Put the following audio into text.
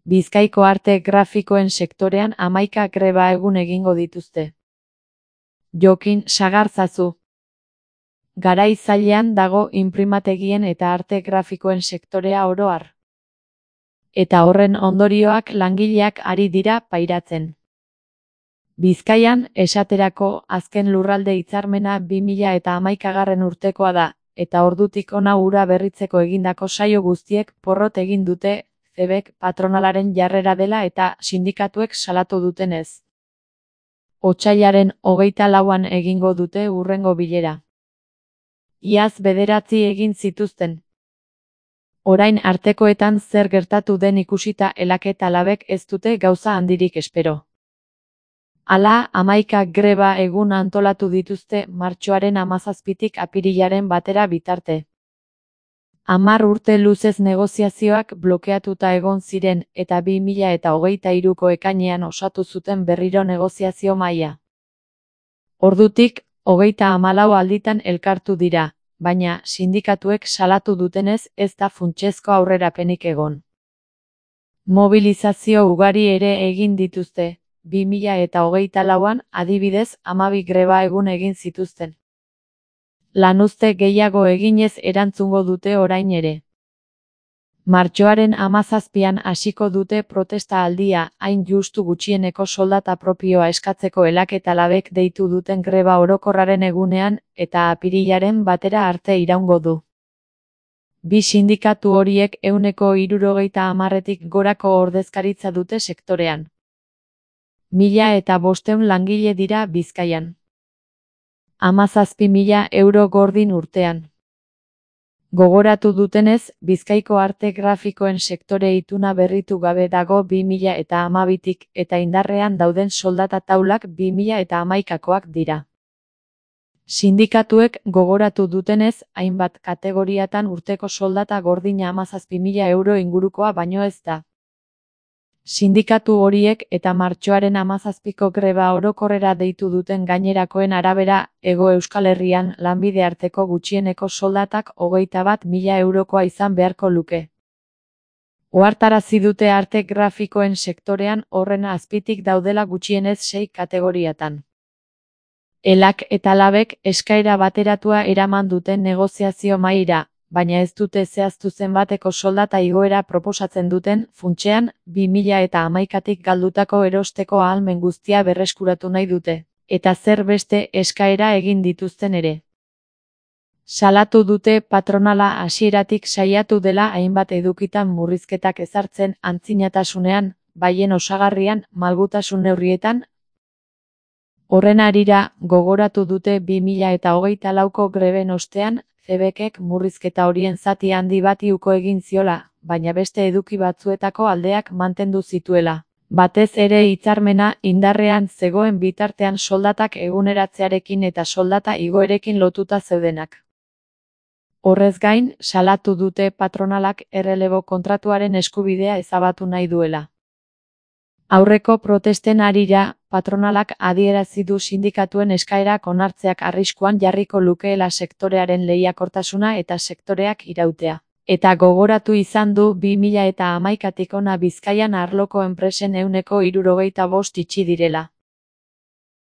Bizkaiko arte grafikoen sektorean 11 greba egun egingo dituzte. Jokin Sagarzazu. Garai zailean dago inprimategien eta arte grafikoen sektorea oro har. Eta horren ondorioak langileak ari dira pairatzen. Bizkaian, esaterako, azken lurralde hitzarmena 2011 urtekoa da, eta ordutik hona hura berritzeko egindako saio guztiek porrot egin dute, CEBek patronalaren jarrera dela eta sindikatuek salatu dutenez. Otsailaren 24an egingo dute hurrengo bilera. Iaz 9 egin zituzten. Orain artekoetan zer gertatu den ikusita Elak eta Labek ez dute gauza handirik espero. Hala, 11 greba egun antolatu dituzte martxoaren 17tik apirilaren 1 bitarte. 10 urte luzez negoziazioak blokeatuta egon ziren eta 2023ko ekainean osatu zuten berriro negoziazio mahaia. Ordutik, 34 alditan elkartu dira, baina sindikatuek salatu dutenez ez da funtsezko aurrerapenik egon. Mobilizazio ugari ere egin dituzte. 2024an adibidez 12 greba egun egin zituzten. Lanuzte gehiago eginez erantzungo dute orain ere. Martxoaren 17an hasiko dute protesta aldia, hain justu gutxieneko soldata propioa eskatzeko Elak eta Labek deitu duten greba orokorraren egunean eta apirilaren 1 arte iraungo du. Bi sindikatu horiek 70%tik gorako ordezkaritza dute sektorean. 1500 langile dira Bizkaian. 17.000 euro gordin urtean. Gogoratu dutenez, Bizkaiko arte grafikoen sektore ituna berritu gabe dago 2012tik eta indarrean dauden soldata taulak 2011koak dira. Sindikatuek gogoratu dutenez, hainbat kategoriatan urteko soldata gordina 17.000 euro ingurukoa baino ez da. Sindikatu horiek eta martxoaren 17ko greba orokorrera deitu duten gainerakoen arabera, Hego Euskal Herrian lanbide arteko gutxieneko soldatak 21.000 eurokoa izan beharko luke. Ohartarazi dute arte grafikoen sektorean horren azpitik daudela gutxienez 6 kategoriatan. Elak eta Labek eskaera bateratua eraman duten negoziazio mahaira, baina ez dute zehaztu zenbateko soldata igoera proposatzen duten, funtsean, 2011tik galdutako erosteko ahalmen guztia berreskuratu nahi dute, eta zer beste eskaera egin dituzten ere. Salatu dute patronala hasieratik saiatu dela hainbat edukitan murrizketak ezartzen antzinatasunean, baien osagarrian, malgutasun neurrietan. Horren harira, gogoratu dute 2024ko greben ostean, CEBek murrizketa horien zati handi bati uko egin ziola, baina beste eduki batzuetako aldeak mantendu zituela. Batez ere hitzarmena indarrean zegoen bitartean soldatak eguneratzearekin eta soldata igoerekin lotuta zeudenak. Horrez gain, salatu dute patronalak errelebo kontratuaren eskubidea ezabatu nahi duela. Aurreko protesten harira, patronalak adierazi du sindikatuen eskaerak onartzeak arriskuan jarriko lukeela sektorearen lehiakortasuna eta sektoreak irautea. Eta gogoratu izan du 2011tik hona Bizkaian arloko enpresen 75% itxi direla.